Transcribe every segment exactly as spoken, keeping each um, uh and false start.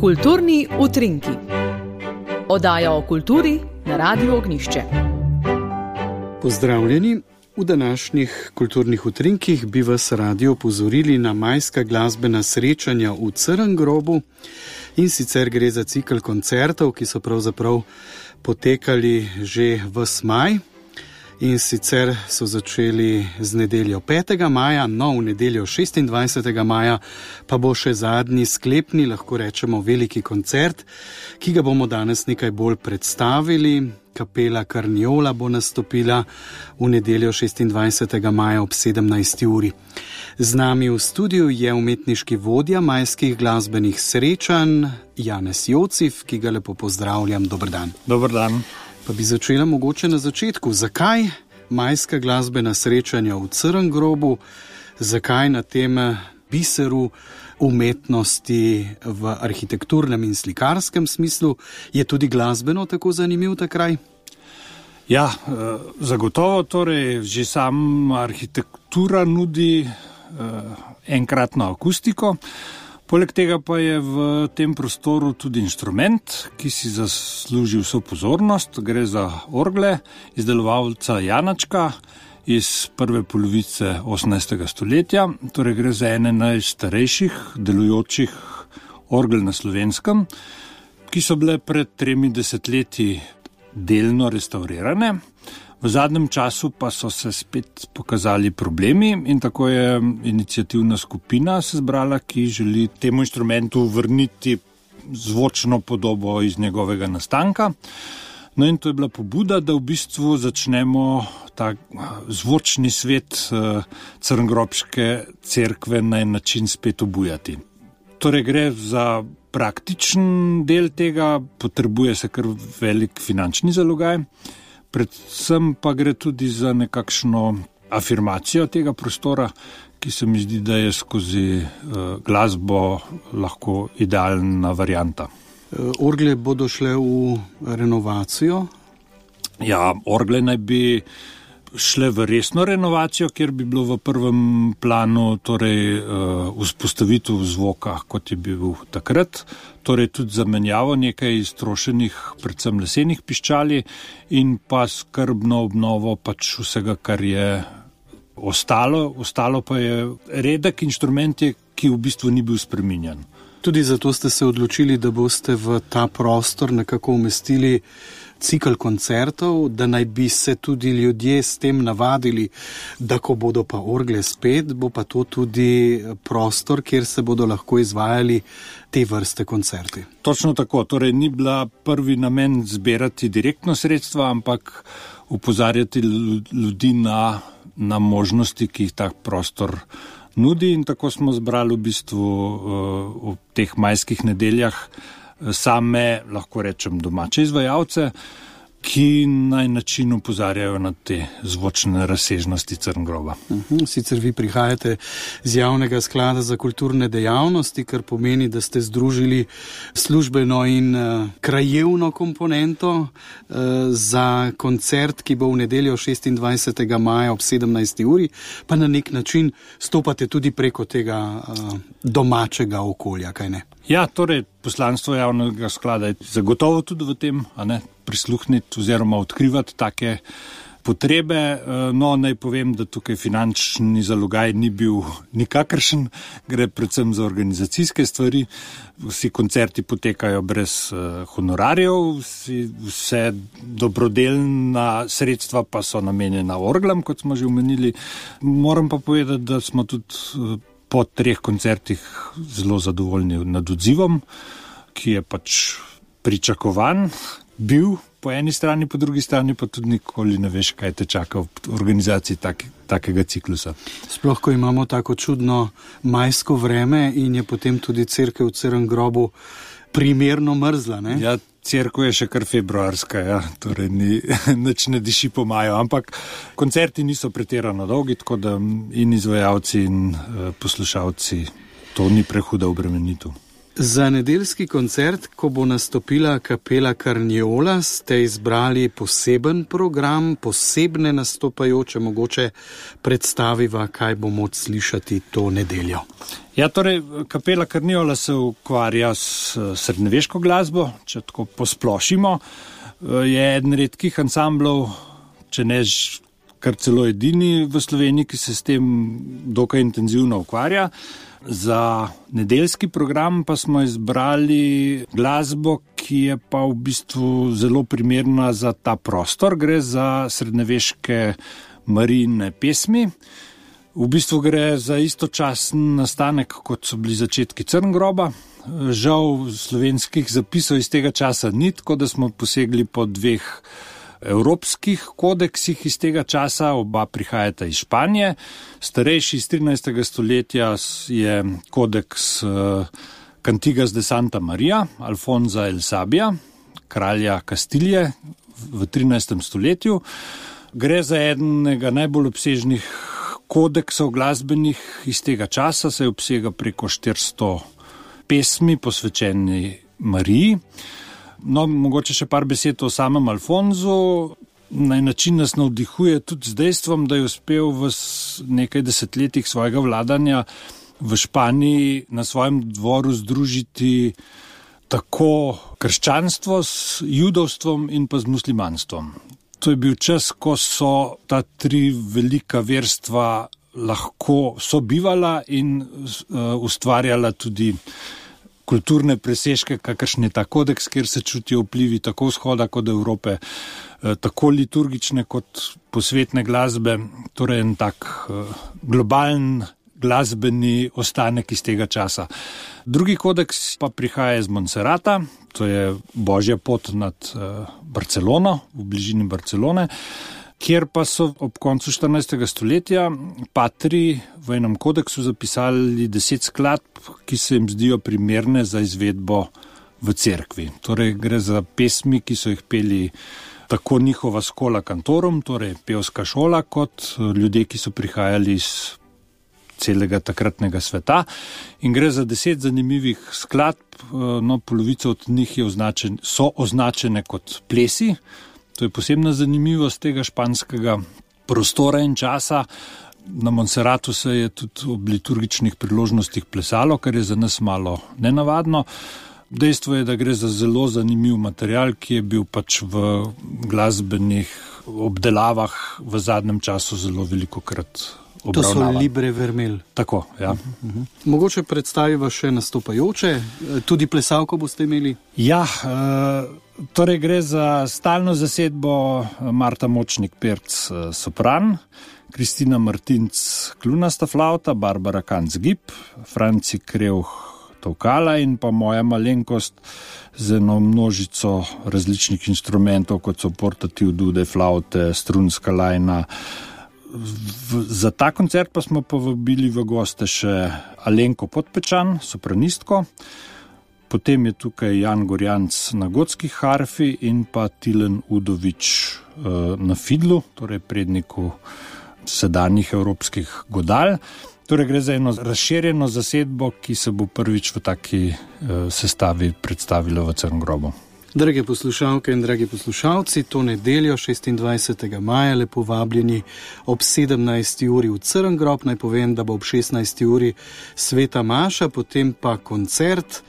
Kulturni utrinki. Oddaja o kulturi na Radiu Ognjišče. Pozdravljeni. V današnjih kulturnih utrinkih bi vas radi opozorili na majska glasbena srečanja v Crngrobu, in sicer gre za cikel koncertov, ki so pravzaprav potekali že ves maj. In sicer so začeli z nedeljo petega maja, no v nedeljo šestindvajsetega maja pa bo še zadnji sklepni, lahko rečemo veliki koncert, ki ga bomo danes nekaj bolj predstavili. Kapela Karniola bo nastopila v nedeljo šestindvajsetega maja ob sedemnajsti uri. Z nami v studiu je umetniški vodja majskih glasbenih srečanj Janez Jocif, ki ga lepo pozdravljam. Dober dan. Dober dan. Pa bi začela mogoče na začetku. Zakaj majska glasbena srečanja v Crngrobu? Zakaj na tem biseru umetnosti v arhitekturnem in slikarskem smislu je tudi glasbeno tako zanimiv ta kraj? Ja, zagotovo, torej že sama arhitektura nudi enkratno akustiko. Poleg tega pa je v tem prostoru tudi inštrument, ki si zasluži vso pozornost. Gre za orgle izdelovalca Janačka iz prve polovice osemnajstega stoletja. Torej gre za ene najstarejših delujočih orgel na Slovenskem, ki so bile pred tremi desetletji delno restaurirane. V zadnjem času pa so se spet pokazali problemi in tako je iniciativna skupina se zbrala, ki želi temu inštrumentu vrniti zvočno podobo iz njegovega nastanka. No in to je bila pobuda, da v bistvu začnemo ta zvočni svet crngrobške cerkve na en način spet obujati. Torej gre za praktičen del tega, potrebuje se kar velik finančni zalogaj. Predvsem pa gre tudi za nekakšno afirmacijo tega prostora, ki se mi zdi, da je skozi uh, glasbo lahko idealna varianta. Orgle bodo šle v renovacijo? Ja, orgle naj bi šle v resno renovacijo, kjer bi bilo v prvem planu torej uh, vzpostavitev zvoka, kot je bil takrat. Torej tudi zamenjavo nekaj iztrošenih, predvsem lesenih piščali in pa skrbno obnovo pač vsega, kar je ostalo. Ostalo pa je redek inštrument, ki v bistvu ni bil spreminjan. Tudi zato ste se odločili, da boste v ta prostor nekako umestili cikel koncertov, da naj bi se tudi ljudje s tem navadili, da ko bodo pa orgle spet, bo pa to tudi prostor, kjer se bodo lahko izvajali te vrste koncerti. Točno tako, torej ni bila prvi namen zbirati direktno sredstva, ampak upozarjati ljudi na, na možnosti, ki jih tak prostor nudi, in tako smo zbrali v bistvu v teh majskih nedeljah same, lahko rečem, domače izvajalce, ki na način upozarjajo na te zvočne razsežnosti Crngroba. Uhum, sicer vi prihajate z javnega sklada za kulturne dejavnosti, kar pomeni, da ste združili službeno in uh, krajevno komponento uh, za koncert, ki bo v nedeljo šestindvajsetega maja ob sedemnajsti uri, pa na nek način stopate tudi preko tega uh, domačega okolja, kaj ne? Ja, torej poslanstvo javnega sklada je zagotovo tudi v tem, a ne, prisluhniti oziroma odkrivati take potrebe. No, naj povem, da tukaj finančni zalogaj ni bil nikakršen, gre predvsem za organizacijske stvari. Vsi koncerti potekajo brez uh, honorarjev, vsi, vse dobrodelna sredstva pa so namenjena orglam, kot smo že omenili. Moram pa povedati, da smo tudi uh, po treh koncertih zelo zadovoljni nad odzivom, ki je pač pričakovan bil po eni strani, po drugi strani pa tudi nikoli ne veš, kaj te čaka v organizaciji tak, takega ciklusa. Sploh, ko imamo tako čudno majsko vreme in je potem tudi cerkev v Crngrobu primerno mrzla, ne? Ja, cerkev je še kar februarska, ja, torej ni, nič ne diši po maju, ampak koncerti niso pretirano dolgi, tako da in izvajalci in uh, poslušalci, to ni prehuda obremenitev. Za nedeljski koncert, ko bo nastopila kapela Carniola, ste izbrali poseben program, posebne nastopajoče, mogoče predstaviva, kaj bo moč slišati to nedeljo. Ja, torej, kapela Carniola se ukvarja s srednjeveško glasbo, če tako posplošimo. Je eden redkih ansamblov, če ne kar celo edini v Sloveniji, ki se s tem dokaj intenzivno ukvarja. Za nedeljski program pa smo izbrali glasbo, ki je pa v bistvu zelo primerna za ta prostor. Gre za srednjeveške marijine pesmi. V bistvu gre za istočasen nastanek, kot so bili začetki Crngroba. Žal slovenskih zapisov iz tega časa ni, tako da smo posegli po dveh evropskih kodeksih iz tega časa, oba prihajata iz Španije. Starejši iz trinajstega stoletja je kodeks Cantigas de Santa Maria, Alfonza el Sabia, kralja Kastilije v trinajstem stoletju. Gre za enega najbolj obsežnih kodeksov glasbenih iz tega časa, se obsega preko štiristo pesmi posvečeni Mariji. No, mogoče še par besed o samem Alfonzu. Na način nas navdihuje tudi z dejstvom, da je uspel v nekaj desetletjih svojega vladanja v Španiji na svojem dvoru združiti tako krščanstvo s judovstvom in pa z muslimanstvom. To je bil čas, ko so ta tri velika verstva lahko sobivala in uh, ustvarjala tudi kulturne presežke, kakršen je ta kodeks, kjer se čutijo vplivi tako vzhoda kot Evrope, tako liturgične kot posvetne glasbe, torej en tak globalen glasbeni ostanek iz tega časa. Drugi kodeks pa prihaja iz Montserrata, to je Božja pot nad Barcelono, v bližini Barcelone, kjer pa so ob koncu štirinajstega stoletja patri v enem kodeksu zapisali deset skladb, ki se jim zdijo primerne za izvedbo v cerkvi. Torej gre za pesmi, ki so jih peli tako njihova skola kantorum, torej pevska šola, kot ljudje, ki so prihajali iz celega takratnega sveta. In gre za deset zanimivih skladb, no, polovica od njih je označen, so označene kot plesi. To je posebna zanimivost tega španskega prostora in časa. Na Montserratu se je tudi ob liturgičnih priložnostih plesalo, kar je za nas malo nenavadno. Dejstvo je, da gre za zelo zanimiv material, ki je bil pač v glasbenih obdelavah v zadnjem času zelo velikokrat obravnavan. To so libre vermel. Tako, ja. Uh-huh, uh-huh. Mogoče predstaviva še nastopajoče, tudi plesalko boste imeli? Ja, e, torej gre za stalno zasedbo Marta Močnik-Perc sopran, Kristina Martinc kljunasta flauta, Barbara Kanc-Gib, Franci Krevh tolkala in pa moja malenkost z eno množico različnih instrumentov, kot so portativ, dude, flaute, strunska lajna. V, za ta koncert pa smo povabili v goste še Alenko Podpečan, sopranistko, potem je tukaj Jan Gorjanc na gotskih harfi in pa Tilen Udovič uh, na fidlu, torej predniku sedanjih evropskih godal. Torej gre za eno razširjeno zasedbo, ki se bo prvič v taki uh, sestavi predstavila v Crngrobu. Drage poslušalke in dragi poslušalci, to nedeljo šestindvajsetega maja lepo vabljeni ob sedemnajsti uri v Crngrob. Naj povem, da bo ob šestnajsti uri sveta maša, potem pa koncert,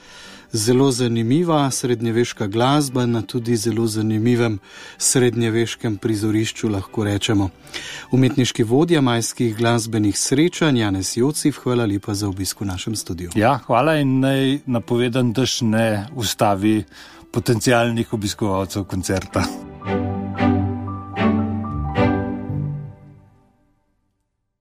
zelo zanimiva srednjeveška glasba na tudi zelo zanimivem srednjeveškem prizorišču, lahko rečemo. Umetniški vodja majskih glasbenih srečanj Janez Jocif, hvala lepa za obisk v našem studiu. Ja, hvala in naj napovedam, da še ne ustavi potencialnih obiskovalcev koncerta.